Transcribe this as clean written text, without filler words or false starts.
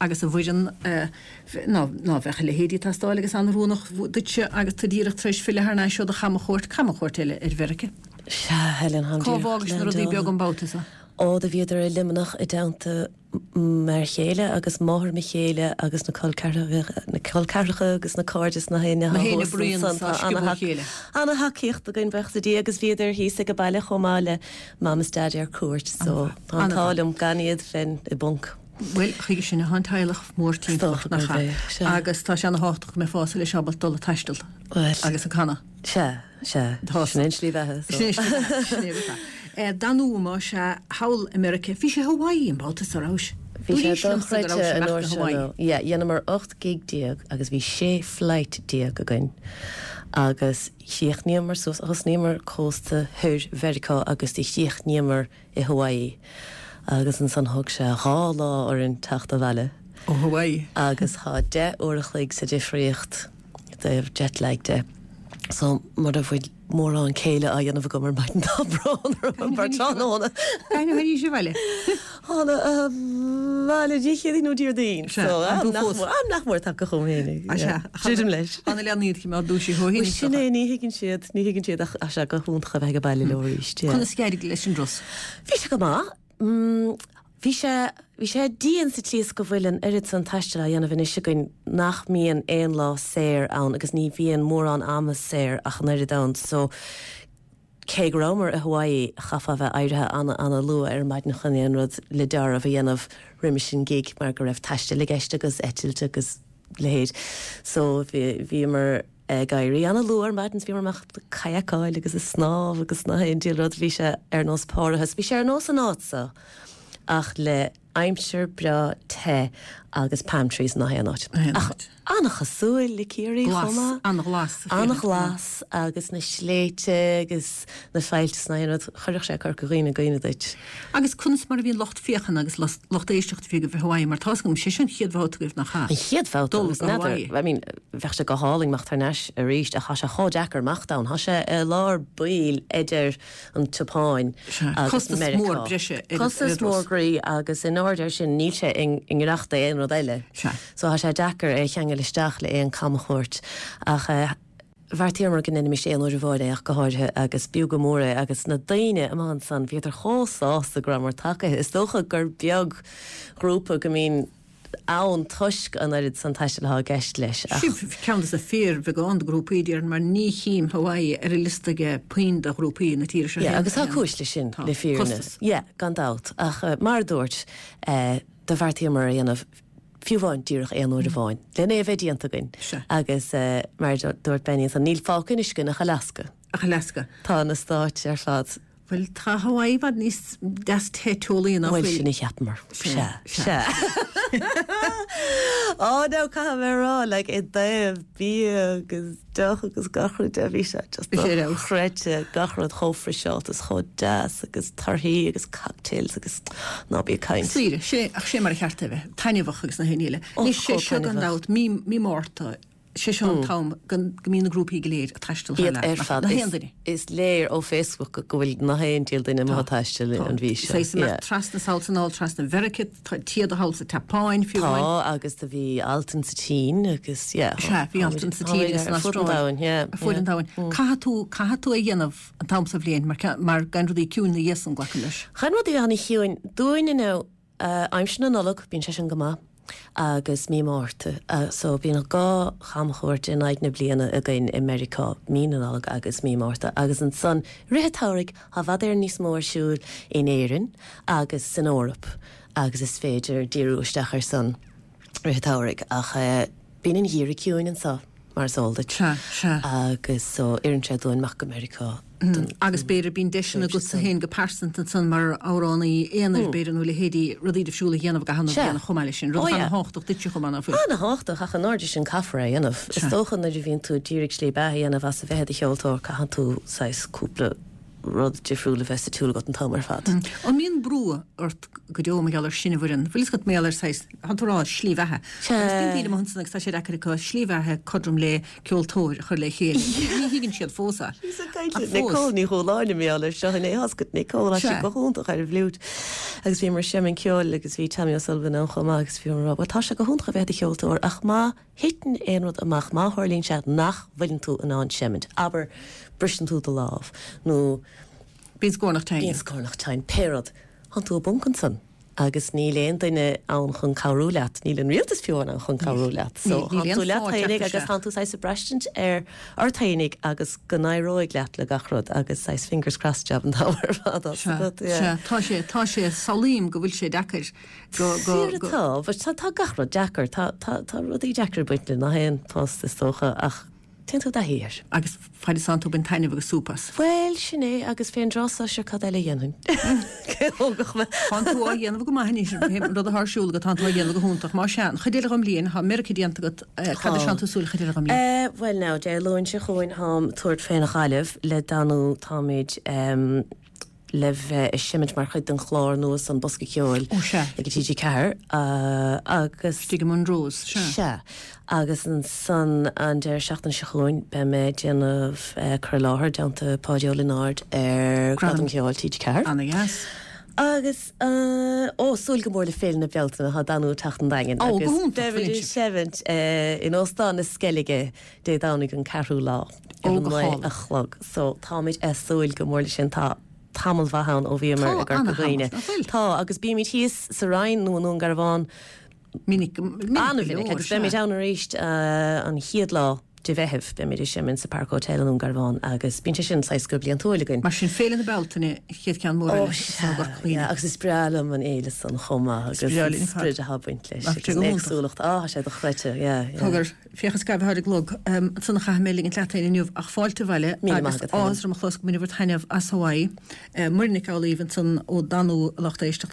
Agus a Mhuireann, ná bheadh a leithéidí ag teastáil agus an-rúnach duitse agus tú díreach tar éis filleadh thar n-ais ó do chamchuairt, camchuairt eile ar Mheiriceá. Sea, Helen, táim Cá díreach bhfágais na rudaí beaga an babhta seo? Ó, do bhíodar i Luimneach i dteannta m'fhear chéile agus máthair mo chéile agus na col ceathracha, na col ceathracha agus na cairde is na héinne atá thuas ansan. Tá ana-thacaíocht againn, buíochas le Dia, agus bhíodar thíos ag an baile chomh maith le Mam is Daidí ar cuairt, so tá an t-ádh liom gan iad bheinn i bponc. Bhuel, chuige sin atá an teaghlach mór timpeall ort, nach ea? Agus tá sé ana-thábhachtach go mbeifeá leis ábalta dul ag taisteal agus ag canadh. Sea, sea. Tá. Sin é an tslí bheatha. Sin é an tslí bheatha, sin é rud é. Danúma, sea, thall i Meiriceá. Bhí sé Hawaii an babhta seo, rabhais? Bhí sé dochreidte an uair seo nó, yeah, dheineamar 18 gig agus bhí 16 flight againn agus chríochnaíomar suas, thosnaíomar cósta thoir Mheiriceá agus do chríochnaíomar i Hawaii agus ansan thóg sé 2 lá orainn teacht abhaile. Ó Hawaii. Agus thá 10 uair a chloig sa difríocht i dtaobh jet lag de. So mura bhfuil mórán céille á dhéanamh agam ar maidin tá brón orm mar tráthnóna. Cathain a tháinís abhaile? Thána abhaile Dé Céadaoin nó Déardaoin. So am nach mór, am nach mór tagtha chugam féinig. Druidim leis. Tá na leanaí iad cineál dúisithe ó shin. Bhuel sin é, ní thuigeann siad. Ní thuigeann siad ach tá sé go hiontach a bheith ag baile leo arís. Conas a d'éirigh leis an dturas? Bhí sé go maith. Bhí sé, bhí sé dian sa tslí is go bhfuil an oiread san taistil á dhéanamh anois againn nach mbíonn aon lá saor ann agus ní bhíonn mórán ama saor ach an oiread ann so cé go rabhamar i Hawaii chaithfeá a bheith éirithe ana ana luath ar maidin chun aon rud le deáramh a dhéanamh roimis an gig mar go raibh taisteal i gceist agus eitilt agus leithéid so bhí, bhíomar Ag éirí ana-luath ar maidin is bhíomar amach ag kayakáil agus ag snámh agus nach aon diabhal rud, bhí sé ar nós parthas. Bhí sé ar nós an áit so ach le aimsir breá te agus palm trees nach aon áit. Ach ana-chosúil le Ciarraí chomh maith. Glas, ana-ghlas. Ana-ghlas agus na sléibhte agus na faillte is nach aon rud, chuirfeadh sé Corca Dhuibhne i gcuimhne duit. Agus conas mar a bhí an lucht féachana agus lucht éisteachta a bhí agaibh i Hawaii mar tá's agam, sé seo an chéad bhabhta agaibh nach ea? An chéad bhabhta agus n'fheadar, I mean, bheadh sé go hálainn imeacht thar n-ais arís ach tá sé chomh deacair imeacht ann. Tá sé i lár baill idir an tSeapáin agus Costas Meiriceá. mór breise ar an Costas mór groí agus in airde air sin níl sé i ngiorracht d'aon rud eile. Sea. So tá sé deacair é a cheangal isteach le aon camchuairt ach eh, Bheartaíomar go ndéanfaimis aon uair amháin é ach go háirithe agus b'fhiú go mór é agus na daoine amuigh ansan bhíodar chomh sásta go rabhamar tagaithe. Is dócha gur beag grúpa go mbíonn ann toisc an oiread san taistil atá i gceist leis ach. Sibh ceann de na fíorbheagán de ghrúpaí déarfainn mar ní chím Hawaii ar an liosta ag puinn de ghrúpaí na tíre seo. Yeah agus tá cúis leis sin le fírinne. Costas. Yeah gan dabht ach mar a dúirt do bheartaíomar a dhéanamh fiú amháin díreach aon uair amháin, len é a bheith déanta againn. Sea. Agus mar a dúirt Benny ansan, níl fágtha anois againn ach Alasca. Ach Alasca. Tá na Stáit ar fad. Bhuel, tá Hawaii i bhfad níos deas te teolaí ná Bhuel, sin a cheapamar. Sea. Sea. Á, now, caithfidh mé a rá, like, i dtaobh bia agus deoch agus gach rud de, bhí sé just dochreidte, gach rud chomh friseáilte is chomh deas agus torthaí agus cocktails agus ná bí ag caint. Saoire, sé, ach sé mar a cheart é a bheith, taitneamhach agus na haon ní eile. Anois, sé seo gan dabht, mí, mí Márta, sé seo an t-am go mbíonn na grúpaí go léir ag taisteal thar lear, nach, na haon duine. Is léir ó Facebook go bhfuil na haon diabhal duine amuigh ag taisteal an mhí seo. Saghas imeacht trasna sall is anall trasna Mheiriceá, Tá téada thall sa tSeapáin, fiú amháin. Tá, agus do bhí Altan sa tSín agus, yeah. Sea, bhí Altan sa tSín agus san Astráil. Ar fuaid an domhain. Caithfidh tú, caithfidh tú é a dhéanamh an t-am sa bhliain mar, mar gan rudaí ciúin ina dhiaidh san, glacaim leis. Chan rudaí ana-chiúin. Dúinne now, aimsir na Nollag, bíonn sé sin go maith, agus mí Márta. So bíonn 2 chamchuairt in aghaidh na bliana againn i Meiriceá, mí na Nollag agus mí Márta. Agus ansan, rith an tsamhraidh, Tá i bhfad Éireann níos mó ar siúl in Éirinn agus san Eoraip agus is féidir díriú isteach ar san rith an tsamhraidh ach bíonn an geimhreadh ciúin anseo mar is eol duit. Sea, sea. Agus so oireann sé dúinn imeacht go Meiriceá don Agus b'fhéidir bíonn deiseanna agatsa féin go pearsanta ansan mar amhránaí aonair b'fhéidir nó leithéidí rudaí difriúla a dhéanamh i gcaitheamh na bliana chomh maith leis sin, rud atá ana-thábhachtach duitse chomh maith ná fuil? Ana-thábhachtach ach in airde sin caithfear é a dhéanamh. Is dócha nuair a bhíonn tú ag iarraidh slí beatha a dhéanamh as a bheith i do cheoltóir caitheann tú saghas cúpla. rud difriúil a bheith sa tsiúl agat an t-am ar fad. An mbíonn brú ort go deo mar gheall ar sin a Mhuireann? Bhfuil fhios agat mar gheall ar saghas, tá tú ag rá, slí bheatha. Agus bíonn daoine amuigh ansan agus tá sé deacair acu slí bheatha cothrom le ceoltóir a chur le chéile. Ní thuigeann siad fós é. Bhíos ag caint le Nicole Ní Chualáin mar gheall ar seo inné. Tá a fhios agat Nicole, tá sí go hiontach ar an bhfliúit. Agus bhíomar ag seimint ceoil agus bhí Tommy O'Sullivan ann chomh maith agus bhíomar ag rá, bhuel tá sé go hiontach a bheith i do cheoltóir ach má thiteann aon rud amach, má tharlaíonn sé nach bhfuileann tú in ann seimint, abair briseann tú do lámh nó Bíonn scornach tinn. Bíonn scornach tinn, pé rud. Tánn tú i bponc ansan agus níl aon duine ann chun cabhrú leat, níl an rialtas fiú ann chun cabhrú leat. So tánn tú leat fhéinig agus tánn tú saghas ag braistint ar ort fhéinig agus go n-éireoidh leat le gach rud agus saghas fingers crossed job an t-am ar fad tá a fhios agat, yeah. Sea, tá sé, tá sé, samhlaím go bhfuil sé deacair go, go, go. Fíor atá, but tá, tá gach rud deacair, tá, tá, tá rudaí deacair ag baint le gach aon post is dócha ach Téann tú i dtaithí air. Agus fad is tánn tú ag baint taitneamh agus súp as. Bhuel, sin é, agus fén dtráth so, sure cad eile a dhéanfainn? Cé a thógfadh mé? Tánn tú á dhéanamh go maith anois, an rud atá ar siúl agat, tánn tú á dhéanamh go hiontach. Más ea, an chuid eile dhon mbliain, tá Meiriceá déanta agat, cad a tánn tú ag súil an chuid eile dhon mbliain? Bhuel now, Dé Luain seo chugainn táim ag tabhairt fén Ghaillimh le Danú, táimid le bheith ag seimint mar chuid den chlár nua san Bosca Ceoil Ó sea. ag TG4 agus. Istigh i Monroe's, sea. Sea. Agus ansan an deireadh seachtaine seo chugainn beidh mé ag déanamh cur i láthair i dteannta Páidí Ó Lionáird ar Gradam Ceoil TG4. Ana-dheas. Agus ó, súil go mór le Féile na Bealtaine, tá Danú ag teacht an Daingin Ó, go hiontach, beimid ag seimint in Óstán na Sceilge Dé Domhnaigh an ceathrú lá. Ar a 9 a chlog. So, táimid ag súil go mór leis sin. Tá tamall mhaith ann ó bhíomar i gCorca Dhuibhne. Tá, agus bímid thíos sa Rinn nó i nDún Garbhán minic go leor, agus beimid ann arís an chéad lá de Mheitheamh. Beimid ag seimint sa Park Hotel i nDún Garbhán agus bíonn sé sin saghas go bliantúil againn. Mar sin, Féile na Bealtaine, an chéad cheann mór eile i gCorca Dhuibhne. Agus is breá liom an fhéile san chomh maith agus an sprid atá ag baint leis agus an éagsúlacht. Á, tá sé dochreidte, yeah, yeah. Féach is gairid atá ar an gclog. Ansan a chaithfidh mé ligint leat féin inniu ach fáilte abhaile agus áthas orm a chlos go mbainfidh taitneamh as Hawaii. Muireann Nic Amhlaoibh ansan ó Danú a lucht éisteachta.